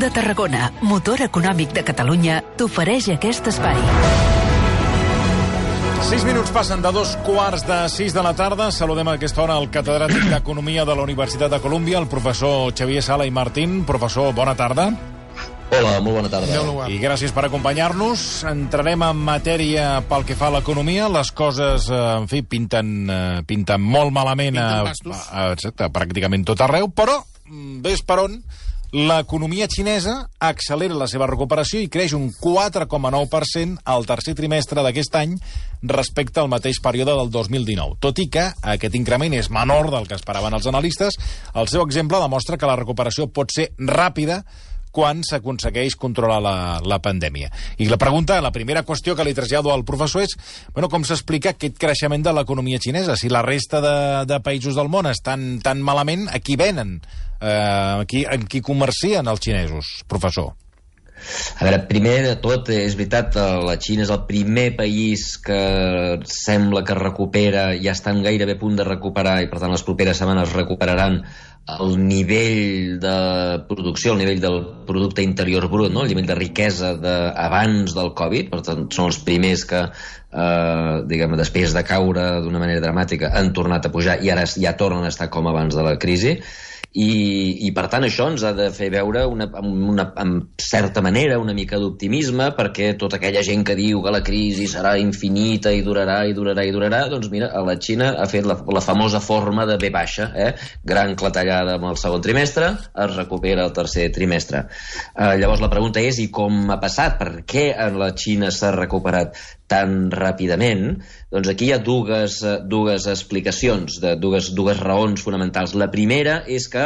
de Tarragona, motor econòmic de Catalunya, t'ofereix aquest espai. 6 minuts passen de 2:15 de la tarda. Saludem a aquesta hora el catedràtic d'Economia de la Universitat de Colúmbia, el professor Xavier Sala i Martín. Professor, bona tarda. Hola, molt bona tarda. I gràcies per acompanyar-nos. Entrarem en matèria pel que fa a l'economia. Les coses, en fi, pinten molt malament pràcticament tot arreu, però ves per on l'economia xinesa accelera la seva recuperació i creix un 4,9% al tercer trimestre d'aquest any respecte al mateix període del 2019. Tot i que aquest increment és menor del que esperaven els analistes, el seu exemple demostra que la recuperació pot ser ràpida quan s'aconsegueix controlar la pandèmia. I la primera qüestió que li trasllado al professor és com s'explica aquest creixement de l'economia xinesa. Si la resta de països del món estan tan malament, a qui venen? En qui comercien els xinesos, professor? A veure, primer de tot, és veritat, la Xina és el primer país que sembla que recupera, ja estan gairebé a punt de recuperar, i per tant les properes setmanes recuperaran el nivell de producció, el nivell del producte interior brut, no? El nivell de riquesa abans del Covid. Per tant, són els primers que, després de caure d'una manera dramàtica, han tornat a pujar i ara ja tornen a estar com abans de la crisi. I per tant això ens ha de fer veure en certa manera una mica d'optimisme, perquè tota aquella gent que diu que la crisi serà infinita i durarà, doncs mira, a la Xina ha fet la famosa forma de V baixa, gran clatellada amb el segon trimestre, es recupera el tercer trimestre. Llavors la pregunta és, i com ha passat? Per què a la Xina s'ha recuperat tan ràpidament? Doncs aquí hi ha dues explicacions, dues raons fonamentals. La primera és que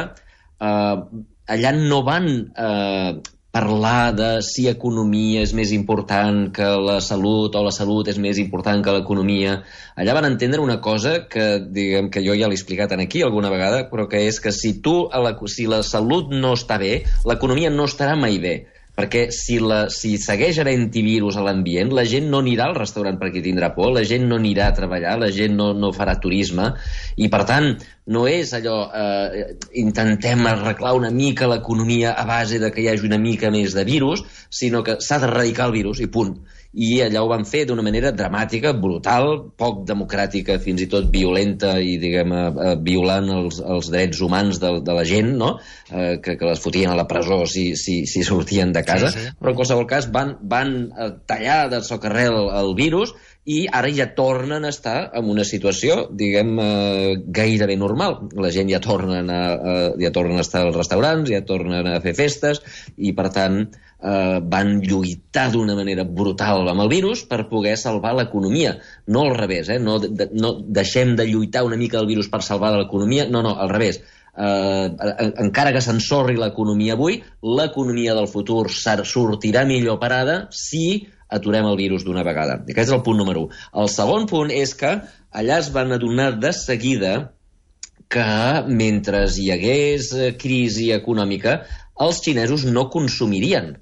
allà no van parlar de si economia és més important que la salut o la salut és més important que l'economia. Allà van entendre una cosa que jo ja l'he explicat aquí alguna vegada, però que és que si la salut no està bé, l'economia no estarà mai bé. Perquè si segueix havent-hi virus a l'ambient, la gent no anirà al restaurant perquè tindrà por, la gent no anirà a treballar, la gent no farà turisme, i per tant no és allò intentem arreglar una mica l'economia a base de que hi hagi una mica més de virus, sinó que s'ha d'erradicar el virus i punt. I allà ho van fer d'una manera dramàtica, brutal, poc democràtica, fins i tot violenta i, violant els drets humans de la gent, no? Que les fotien a la presó si sortien de casa. Sí. Però en qualsevol cas van tallar de socarrel el virus i ara ja tornen a estar en una situació, gairebé normal. La gent ja tornen a estar als restaurants, ja tornen a fer festes i, per tant, van lluitar d'una manera brutal amb el virus per poder salvar l'economia. No al revés, no deixem de lluitar una mica del virus per salvar l'economia, no, al revés. Encara que s'ensorri l'economia avui, l'economia del futur sortirà millor parada si aturem el virus d'una vegada. Aquest és el punt número 1. El segon punt és que allà es van adonar de seguida que mentre hi hagués crisi econòmica, els xinesos no consumirien.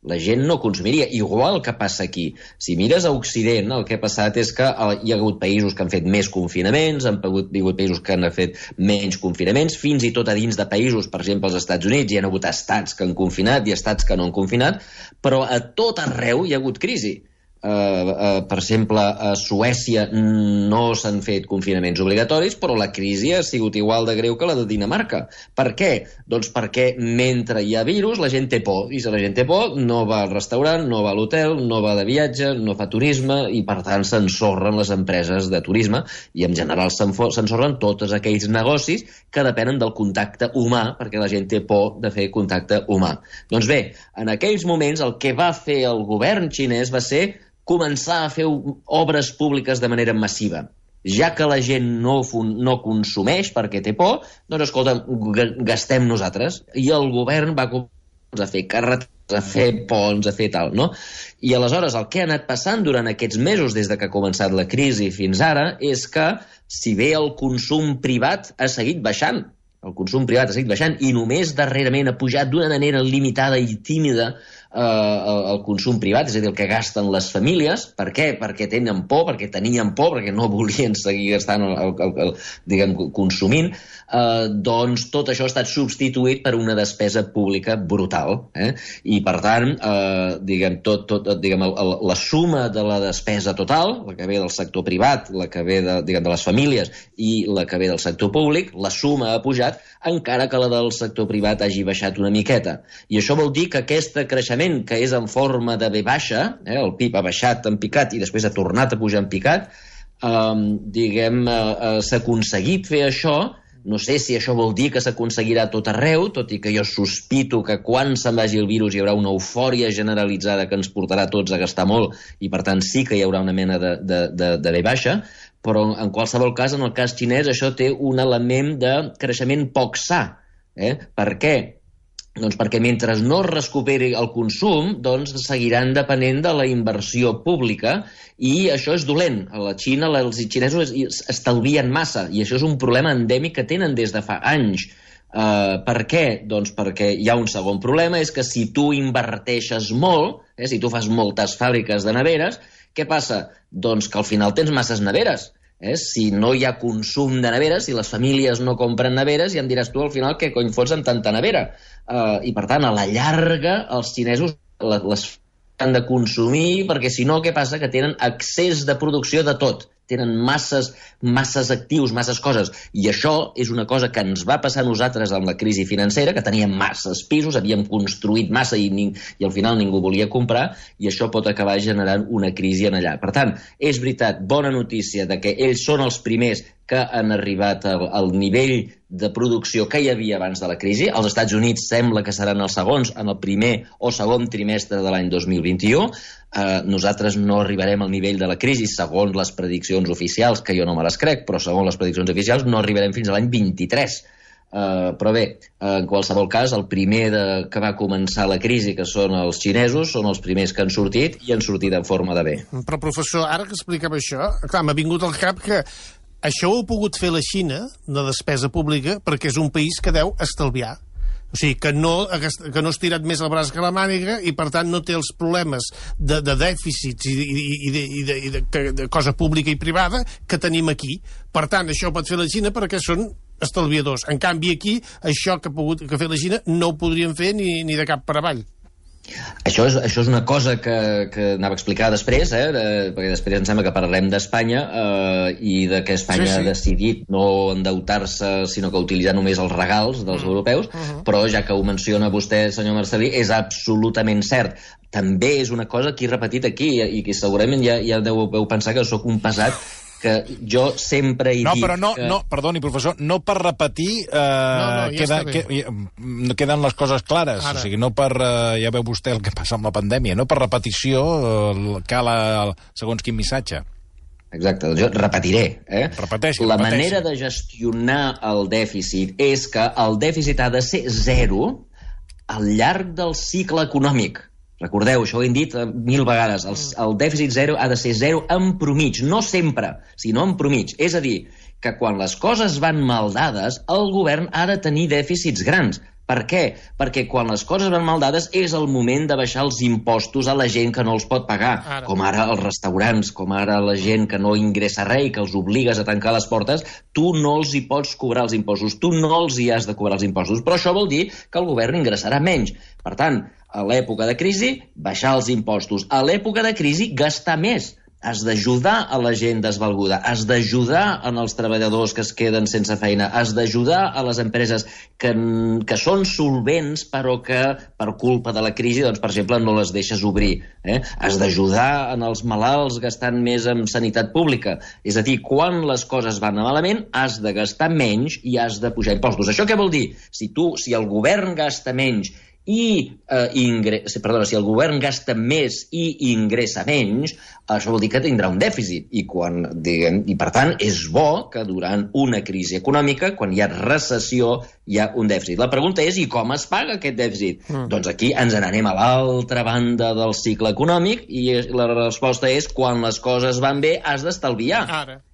La gent no consumiria, igual que passa aquí. Si mires a Occident, el que ha passat és que hi ha hagut països que han fet més confinaments, hi ha hagut països que han fet menys confinaments, fins i tot a dins de països, per exemple, als Estats Units, hi ha hagut estats que han confinat i estats que no han confinat, però a tot arreu hi ha hagut crisi. Per exemple, a Suècia no s'han fet confinaments obligatoris, però la crisi ha sigut igual de greu que la de Dinamarca. Per què? Doncs perquè mentre hi ha virus la gent té por, i si la gent té por no va al restaurant, no va a l'hotel, no va de viatge, no fa turisme, i per tant s'ensorren les empreses de turisme i en general s'ensorren tots aquells negocis que depenen del contacte humà, perquè la gent té por de fer contacte humà. Doncs bé, en aquells moments el que va fer el govern xinès va ser començar a fer obres públiques de manera massiva. Ja que la gent no consumeix perquè té por, doncs escolta, gastem nosaltres. I el govern va començar a fer carreteres, a fer ponts, a fer tal, no? I aleshores el que ha anat passant durant aquests mesos des que ha començat la crisi fins ara és que, si bé el consum privat ha seguit baixant, el consum privat ha seguit baixant i només darrerament ha pujat d'una manera limitada i tímida el consum privat, és a dir, el que gasten les famílies. Per què? Perquè tenen por, perquè tenien por, perquè no volien seguir gastant, diguem, consumint. Doncs tot això ha estat substituït per una despesa pública brutal. I, per tant, diguem, la suma de la despesa total, la que ve del sector privat, la que ve de les famílies i la que ve del sector públic, la suma ha pujat, encara que la del sector privat hagi baixat una miqueta. I això vol dir que aquest creixement, que és en forma de V baixa, el PIB ha baixat en picat i després ha tornat a pujar en picat, s'ha aconseguit fer això. No sé si això vol dir que s'aconseguirà a tot arreu, tot i que jo sospito que quan se'n vagi el virus hi haurà una eufòria generalitzada que ens portarà tots a gastar molt i, per tant, sí que hi haurà una mena de V baixa, però en qualsevol cas, en el cas xinès, això té un element de creixement poc sa. Per què? Doncs perquè mentre no es recuperi el consum, doncs seguiran depenent de la inversió pública i això és dolent. A la Xina els xinesos estalvien massa i això és un problema endèmic que tenen des de fa anys. Per què? Doncs perquè hi ha un segon problema, és que si tu inverteixes molt, si tu fas moltes fàbriques de neveres, què passa? Doncs que al final tens masses neveres. Si no hi ha consum de neveres, si les famílies no compren neveres, ja em diràs tu al final què cony fots amb tanta nevera. I per tant, a la llarga, els xinesos les han de consumir perquè si no, què passa? Que tenen excés de producció de tot. Tenen masses actius, masses coses. I això és una cosa que ens va passar a nosaltres amb la crisi financera, que teníem masses pisos, havíem construït massa i al final ningú volia comprar, i això pot acabar generant una crisi en allà. Per tant, és veritat, bona notícia de que ells són els primers que han arribat al nivell de producció que hi havia abans de la crisi. Els Estats Units sembla que seran els segons en el primer o segon trimestre de l'any 2021. Nosaltres no arribarem al nivell de la crisi segons les prediccions oficials, que jo no me les crec, però segons les prediccions oficials no arribarem fins a l'any 23. Però bé, en qualsevol cas, el primer que va començar la crisi, que són els xinesos, són els primers que han sortit i han sortit en forma de bé. Però, professor, ara que explicava això, clar, m'ha vingut al cap que això ho ha pogut fer la Xina, de despesa pública, perquè és un país que deu estalviar. O sigui, que no ha estirat més el braç que la màniga i, per tant, no té els problemes de dèficits i de cosa pública i privada que tenim aquí. Per tant, això ho pot fer la Xina perquè són estalviadors. En canvi, aquí, això que ha fet la Xina no ho podrien fer ni de cap per avall. Això és una cosa que anava a explicar després, perquè després em sembla que parlarem d'Espanya i de que Espanya ha decidit no endeutar-se, sinó que utilitzar només els regals dels europeus, però ja que ho menciona vostè, senyor Marcel·lí, és absolutament cert. També és una cosa que he repetit aquí i que segurament ja deveu pensar que sóc un pesat, que jo sempre he dit... No, perdoni, professor, no per repetir queden les coses clares. O sigui, no per... ja veu vostè el que passa amb la pandèmia. No per repetició cal segons quin missatge. Exacte, doncs jo repetiré. Repeteixi. La manera de gestionar el dèficit és que el dèficit ha de ser zero al llarg del cicle econòmic. Recordeu, això ho hem dit 1000 vegades, el dèficit zero ha de ser zero en promig, no sempre, sinó en promig. És a dir, que quan les coses van mal dades, el govern ha de tenir dèficits grans. Per què? Perquè quan les coses van mal dades és el moment de baixar els impostos a la gent que no els pot pagar, com ara els restaurants, com ara la gent que no ingressa res i que els obligues a tancar les portes, tu no els hi pots cobrar els impostos, tu no els hi has de cobrar els impostos, però això vol dir que el govern ingressarà menys. Per tant, a l'època de crisi, baixar els impostos. A l'època de crisi, gastar més. Has d'ajudar a la gent desvalguda, has d'ajudar als treballadors que es queden sense feina, has d'ajudar a les empreses que són solvents però que per culpa de la crisi, doncs, per exemple, no les deixes obrir. Has d'ajudar als malalts gastant més en sanitat pública. És a dir, quan les coses van malament, has de gastar menys i has de pujar impostos. Això què vol dir? Si el govern gasta menys si el govern gasta més i ingressa menys, això vol dir que tindrà un dèficit. I per tant, és bo que durant una crisi econòmica, quan hi ha recessió, hi ha un dèficit. La pregunta és, i com es paga aquest dèficit? Doncs aquí ens n'anem a l'altra banda del cicle econòmic i la resposta és, quan les coses van bé has d'estalviar.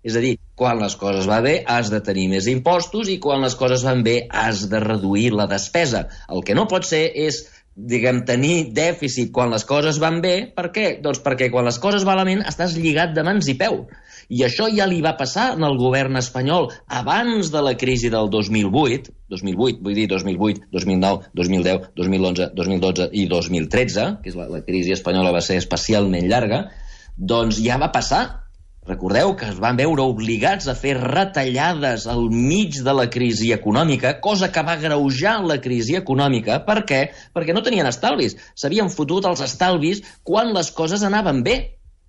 És a dir, quan les coses van bé has de tenir més impostos i quan les coses van bé has de reduir la despesa. El que no pot ser és tenir dèficit quan les coses van bé. Per què? Doncs perquè quan les coses van malament estàs lligat de mans i peu. I això ja li va passar al govern espanyol abans de la crisi del 2008, vull dir 2008, 2009, 2010, 2011, 2012 i 2013, que és la crisi espanyola va ser especialment llarga, doncs ja va passar. Recordeu que es van veure obligats a fer retallades al mig de la crisi econòmica, cosa que va agreujar la crisi econòmica. Per què? Perquè no tenien estalvis. S'havien fotut els estalvis quan les coses anaven bé.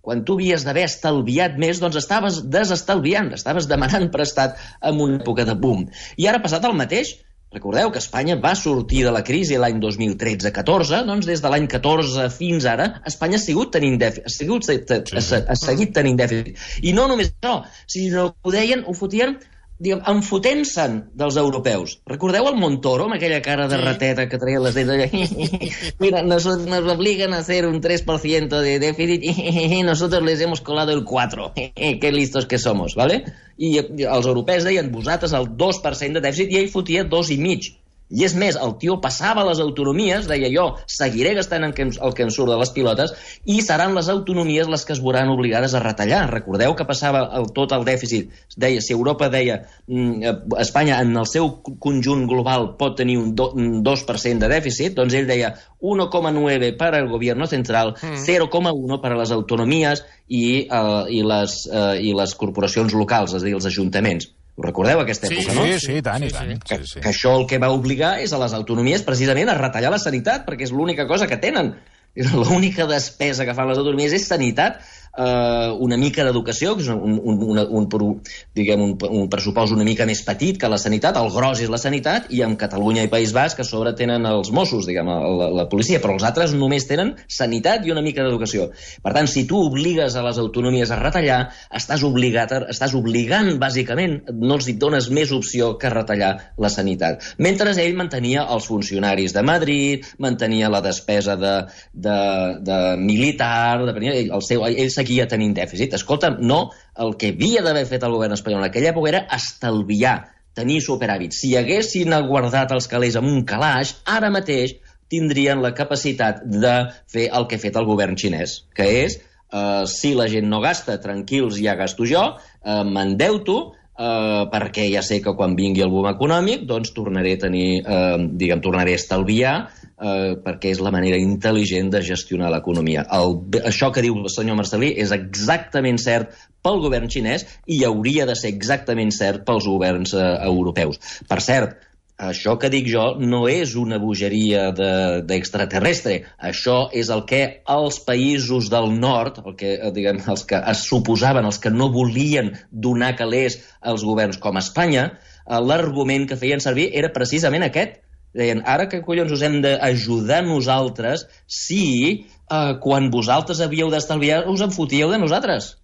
Quan tu havies d'haver estalviat més, doncs estaves desestalviant, estaves demanant prestat en una època de boom. I ara ha passat el mateix. Recordeu que Espanya va sortir de la crisi l'any 2013-14, doncs des de l'any 14 fins ara, Espanya ha seguit tenint dèficit. Ha seguit tenint dèficit. I no només això, sinó que ho fotien enfotent-se'n dels europeus. Recordeu el Montoro, amb aquella cara de rateta que traia les dents? Mira, nos obligan a hacer un 3% de déficit y nosotros les hemos colado el 4%. Qué listos que somos, ¿vale? I els europeus deien, vosaltres el 2% de dèficit, i ell fotia 2,5%. I és més, el tio passava a les autonomies, deia jo, seguiré gastant el que em surt de les pilotes i seran les autonomies les que es veuran obligades a retallar. Recordeu que passava tot el dèficit. Deia, si Europa deia Espanya en el seu conjunt global pot tenir un 2% de dèficit, doncs ell deia 1,9 per al gobierno central, 0,1 per a les autonomies i les corporacions locals, és a dir, els ajuntaments. Ho recordeu, aquesta època, no? Sí, tant. Que això el que va obligar és a les autonomies precisament a retallar la sanitat, perquè és l'única cosa que tenen. L'única despesa que fan les autonomies és sanitat, una mica d'educació, que és un pressupost una mica més petit que la sanitat, el gros és la sanitat, i amb Catalunya i País Basc, que a sobre tenen els Mossos, la policia, però els altres només tenen sanitat i una mica d'educació. Per tant, si tu obligues a les autonomies a retallar, estàs obligant, bàsicament, no els dones més opció que retallar la sanitat. Mentre ell mantenia els funcionaris de Madrid, mantenia la despesa de militar, ell seguia tenint dèficit. Escolta'm, no, el que havia d'haver fet el govern espanyol en aquella època era estalviar, tenir superàvit. Si haguessin guardat els calés en un calaix, ara mateix tindrien la capacitat de fer el que ha fet el govern xinès, que és, si la gent no gasta, tranquils, ja gasto jo, m'endeuto, perquè ja sé que quan vingui el boom econòmic doncs tornaré a estalviar, perquè és la manera intel·ligent de gestionar l'economia. Això que diu el senyor Marcel·lí és exactament cert pel govern xinès i hauria de ser exactament cert pels governs europeus. Per cert, això que dic jo no és una bogeria d'extraterrestre. Això és el que els països del nord, els que es suposaven, els que no volien donar calés als governs com Espanya, l'argument que feien servir era precisament aquest. Deien, ara que collons us hem d'ajudar nosaltres si quan vosaltres havíeu d'estalviar us en fotíeu de nosaltres?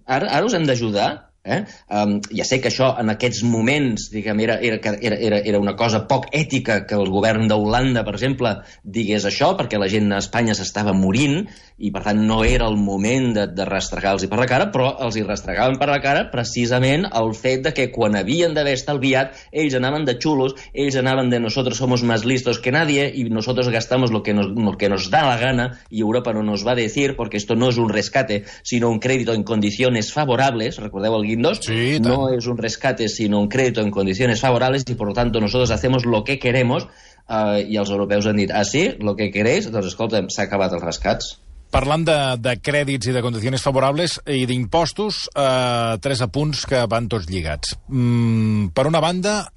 Ara us hem d'ajudar? Ja sé que això en aquests moments era una cosa poc ètica que el govern d'Holanda, per exemple, digués això, perquè la gent a Espanya s'estava morint i per tant no era el moment de restregar-los per la cara, però els hi restregaven per la cara precisament el fet de que quan havien d'haver estalviat ells anaven de xulos, ells anaven de nosotros somos más listos que nadie y nosotros gastamos lo que nos da la gana y Europa no nos va a decir porque esto no es un rescate sino un crédito en condiciones favorables. Recordeu el Guindos? Sí, no es un rescate sino un crédito en condiciones favorables y por lo tanto nosotros hacemos lo que queremos i els europeus han dit, sí, lo que queréis? Doncs escolta'm, s'ha acabat els rescats. Parlant de crèdits i de condicions favorables i d'impostos, 3 apunts que van tots lligats. Per una banda,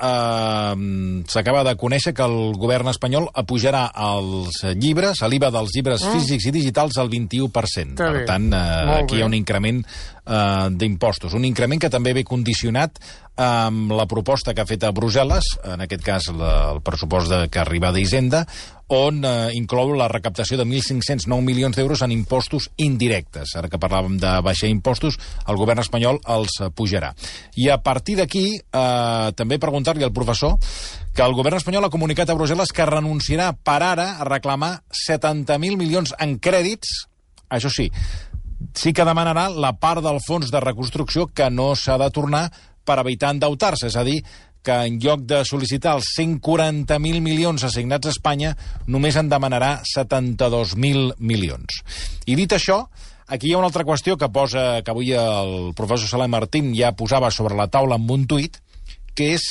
s'acaba de conèixer que el govern espanyol apujarà els llibres, l'IVA dels llibres físics i digitals al 21%. Per tant, aquí hi ha un increment d'impostos. Un increment que també ve condicionat amb la proposta que ha fet a Brussel·les, en aquest cas el pressupost que arriba d'Hisenda, on inclou la recaptació de 1.509 milions d'euros en impostos indirectes. Ara que parlàvem de baixar impostos, el govern espanyol els pujarà. I a partir d'aquí, també preguntar-li al professor que el govern espanyol ha comunicat a Brussel·les que renunciarà per ara a reclamar 70.000 milions en crèdits. Això sí que demanarà la part del fons de reconstrucció que no s'ha de tornar per evitar endeutar-se, és a dir, que en lloc de sol·licitar els 140.000 milions assignats a Espanya, només en demanarà 72.000 milions. I dit això, aquí hi ha una altra qüestió que avui el professor Salem Martín ja posava sobre la taula amb un tuit, que és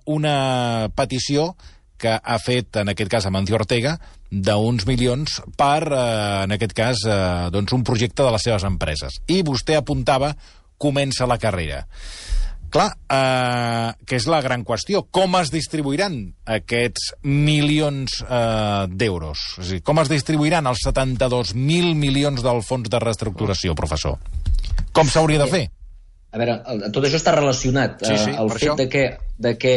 una petició que ha fet, en aquest cas, Amancio Ortega, d'uns milions per, en aquest cas, un projecte de les seves empreses. I vostè apuntava, comença la carrera. Clar, que és la gran qüestió. Com es distribuiran aquests milions d'euros? És a dir, com es distribuiran els 72.000 milions del fons de reestructuració, professor? Com s'hauria de fer? A veure, tot això està relacionat. El fet de que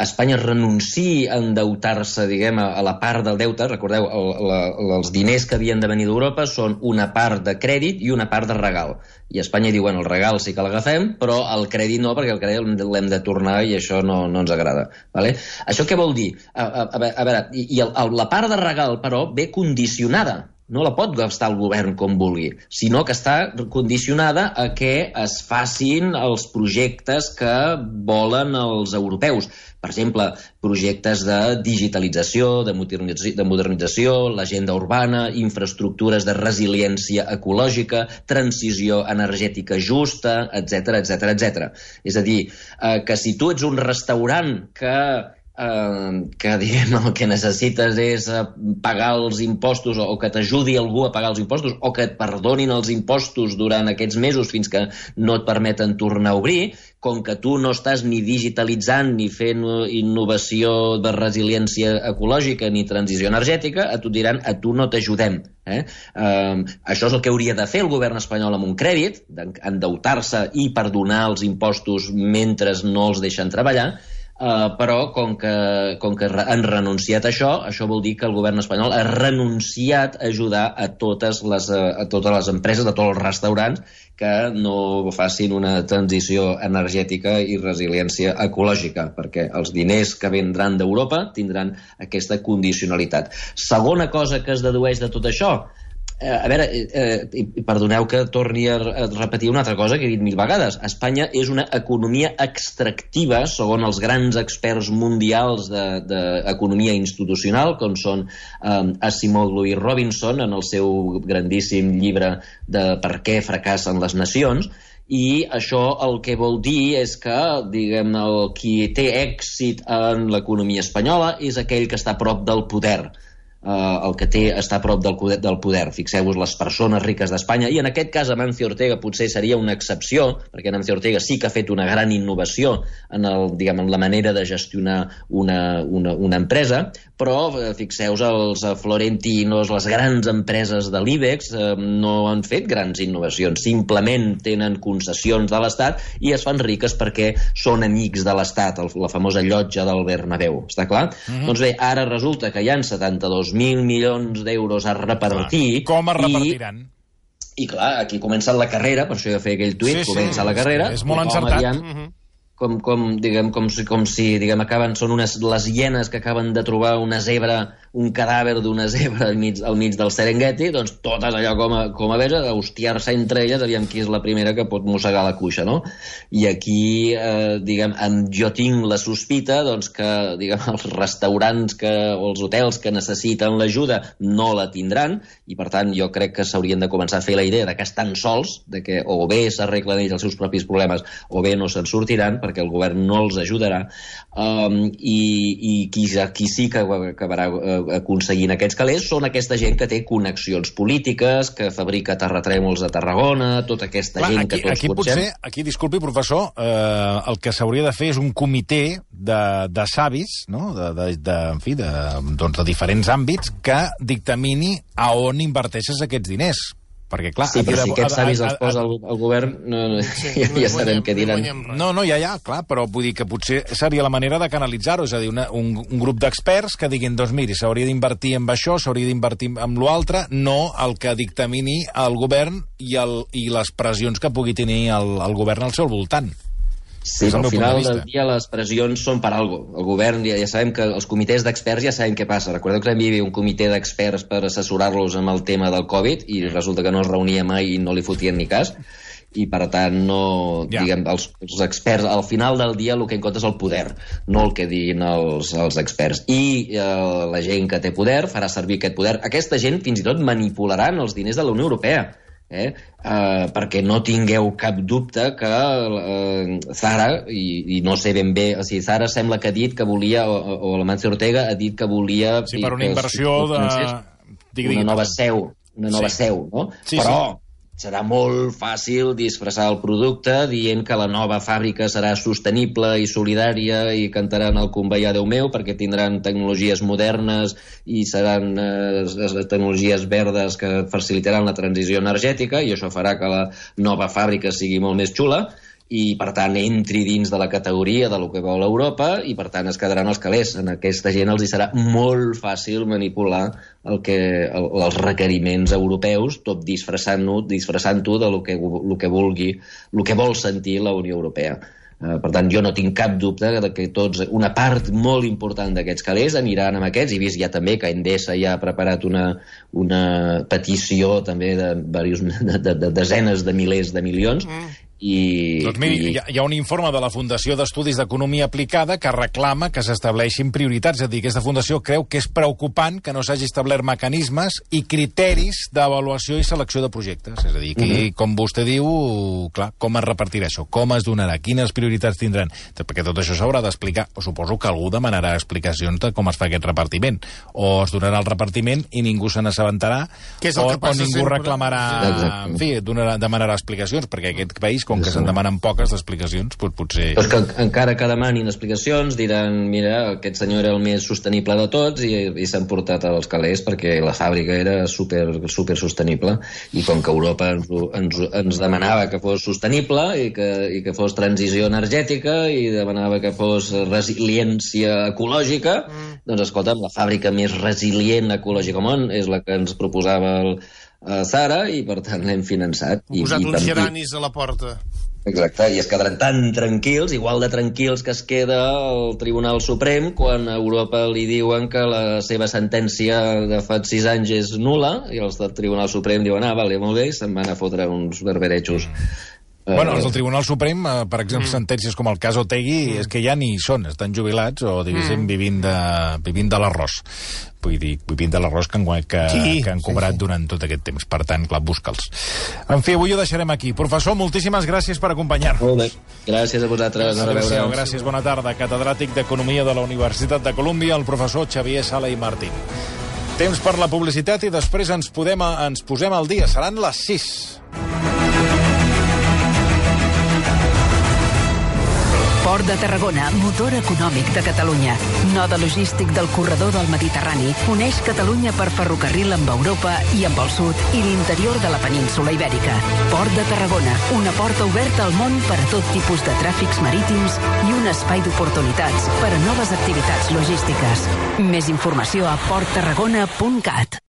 Espanya renunciï a endeutar-se, diguem, a la part del deute, recordeu, els diners que havien de venir d'Europa són una part de crèdit i una part de regal. I Espanya diu, bueno, el regal sí que l'agafem, però el crèdit no, perquè el crèdit l'hem de tornar i això no ens agrada. Vale? Això què vol dir? A veure, la part de regal, però, ve condicionada. No la pot gastar el govern com vulgui, sinó que està condicionada a que es facin els projectes que volen els europeus. Per exemple, projectes de digitalització, de modernització, l'agenda urbana, infraestructures de resiliència ecològica, transició energètica justa, etc etc. És a dir, que si tu ets un restaurant que diguem, el que necessites és pagar els impostos o que t'ajudi algú a pagar els impostos o que et perdonin els impostos durant aquests mesos fins que no et permeten tornar a obrir, com que tu no estàs ni digitalitzant ni fent innovació de resiliència ecològica ni transició energètica, a tu et diran, a tu no t'ajudem. Això és el que hauria de fer el govern espanyol amb un crèdit, endeutar-se i perdonar els impostos mentre no els deixen treballar, però com que han renunciat a això vol dir que el govern espanyol ha renunciat a ajudar a totes les empreses, a tots els restaurants que no facin una transició energètica i resiliència ecològica, perquè els diners que vindran d'Europa tindran aquesta condicionalitat. Segona cosa que es dedueix de tot això, a veure, perdoneu que torni a repetir una altra cosa que he dit 1000 vegades. Espanya és una economia extractiva, segons els grans experts mundials d'economia institucional, com són Asimov i Robinson, en el seu grandíssim llibre de Per què fracassen les nacions, i això el que vol dir és que, diguem, qui té èxit en l'economia espanyola és aquell que està a prop del poder. El que està a prop del poder. Fixeu-vos, les persones riques d'Espanya, i en aquest cas Amancio Ortega potser seria una excepció, perquè Amancio Ortega sí que ha fet una gran innovació en la manera de gestionar una empresa, però fixeu-vos, els Florentinos, les grans empreses de l'IBEX no han fet grans innovacions, simplement tenen concessions de l'Estat i es fan riques perquè són amics de l'Estat, la famosa llotja del Bernabéu, està clar? Doncs bé, ara resulta que hi ha 72.000 milions d'euros a repartir. Com es repartiran? I clar, aquí comença la carrera, per això jo feia aquell tuit, comença la carrera. És molt encertat. Com si són les hienes que acaben de trobar un cadàver d'una zebra al mig del Serengeti, doncs totes allò com a veure, a hostiar-se entre elles, aviam qui és la primera que pot mossegar la cuixa, no? I aquí, jo tinc la sospita que els restaurants o els hotels que necessiten l'ajuda no la tindran, i per tant jo crec que s'haurien de començar a fer la idea que estan sols, que o bé s'arreglen ells els seus propis problemes o bé no se'n sortiran, perquè el govern no els ajudarà, i qui sí que acabarà aconseguint aquests calés són aquesta gent que té connexions polítiques, que fabrica terratrèmols a Tarragona, tota aquesta gent que tots coneixem. Aquí, disculpi, professor, el que s'hauria de fer és un comitè de savis, no? de diferents àmbits, que dictamini a on inverteixes aquests diners. Perquè, clar... Sí, però si aquests savis els posa el govern, ja sabem què diran. No, ja, clar, però vull dir que potser seria la manera de canalitzar-ho, és a dir, un grup d'experts que diguin, doncs miri, s'hauria d'invertir en això, s'hauria d'invertir en l'altre, no el que dictamini el govern i les pressions que pugui tenir el govern al seu voltant. Sí, però al final del dia les pressions són per algo. El govern, ja sabem que els comitès d'experts ja sabem què passa. Recordeu que hi havia un comitè d'experts per assessorar-los amb el tema del Covid i resulta que no es reunia mai i no li fotien ni cas. I per tant diguem, els experts al final del dia el que en compte és el poder, no el que diguin els experts. I la gent que té poder farà servir aquest poder. Aquesta gent fins i tot manipularan els diners de la Unió Europea. Perquè no tingueu cap dubte que Zara, i no sé ben bé, o sigui, Zara sembla que ha dit que volia, o l'Amancio Ortega ha dit que volia... Sí, per una inversió una nova seu, no? Sí, però serà molt fàcil disfressar el producte dient que la nova fàbrica serà sostenible i solidària i cantaran el conveiar Déu meu perquè tindran tecnologies modernes i seran tecnologies verdes que facilitaran la transició energètica i això farà que la nova fàbrica sigui molt més xula i, per tant, entri dins de la categoria de lo que vol Europa i, per tant, es quedaran els calés. En aquesta gent els hi serà molt fàcil manipular els requeriments europeus, tot disfressant-ho de lo que vulgui, lo que vol sentir la Unió Europea. Per tant, jo no tinc cap dubte que una part molt important d'aquests calés aniran amb aquests. He vist ja també que Endesa ja ha preparat una petició també de desenes de milers de milions. Doncs miri, hi ha un informe de la Fundació d'Estudis d'Economia Aplicada que reclama que s'estableixin prioritats. És a dir, aquesta fundació creu que és preocupant que no s'hagi establert mecanismes i criteris d'avaluació i selecció de projectes. És a dir, que, com vostè diu, clar, com es repartirà això? Com es donarà? Quines prioritats tindran? Perquè tot això s'haurà d'explicar. Suposo que algú demanarà explicacions de com es fa aquest repartiment. O es donarà el repartiment i ningú se n'assabentarà, o ningú reclamarà... En fi, demanarà explicacions, perquè aquest país, com que se'n demanen poques d'explicacions, doncs potser... Però que encara que demanin explicacions, diran, mira, aquest senyor era el més sostenible de tots i s'han portat als calés perquè la fàbrica era super sostenible i com que Europa ens demanava que fos sostenible i que fos transició energètica i demanava que fos resiliència ecològica, doncs escolta'm, la fàbrica més resilient ecològica al món és la que ens proposava Zara i per tant l'hem finançat. Posat uns geranis a la porta. Exacte, i es quedaran tan tranquils, igual de tranquils que es queda el Tribunal Suprem quan a Europa li diuen que la seva sentència de fa 6 anys és nul·la i els del Tribunal Suprem diuen, vale, molt bé, se'n van a fotre uns berberejos. Bueno, els del Tribunal Suprem, per exemple, sentències com el cas Otegi, és que ja ni hi són, estan jubilats o, diguéssim, vivint de l'arròs. Vull dir, vivint de l'arròs que han cobrat durant tot aquest temps. Per tant, clar, busca'ls. En fi, avui ho deixarem aquí. Professor, moltíssimes gràcies per acompanyar-nos. Molt bé. Gràcies a vosaltres. Adéu-siau, gràcies, bona tarda. Catedràtic d'Economia de la Universitat de Colúmbia, el professor Xavier Sala i Martín. Temps per la publicitat i després ens posem al dia. Seran les 6. Port de Tarragona, motor econòmic de Catalunya. Node logístic del corredor del Mediterrani, uneix Catalunya per ferrocarril amb Europa i amb el sud i l'interior de la península Ibèrica. Port de Tarragona, una porta oberta al món per a tot tipus de tràfics marítims i un espai d'oportunitats per a noves activitats logístiques. Més informació a porttarragona.cat.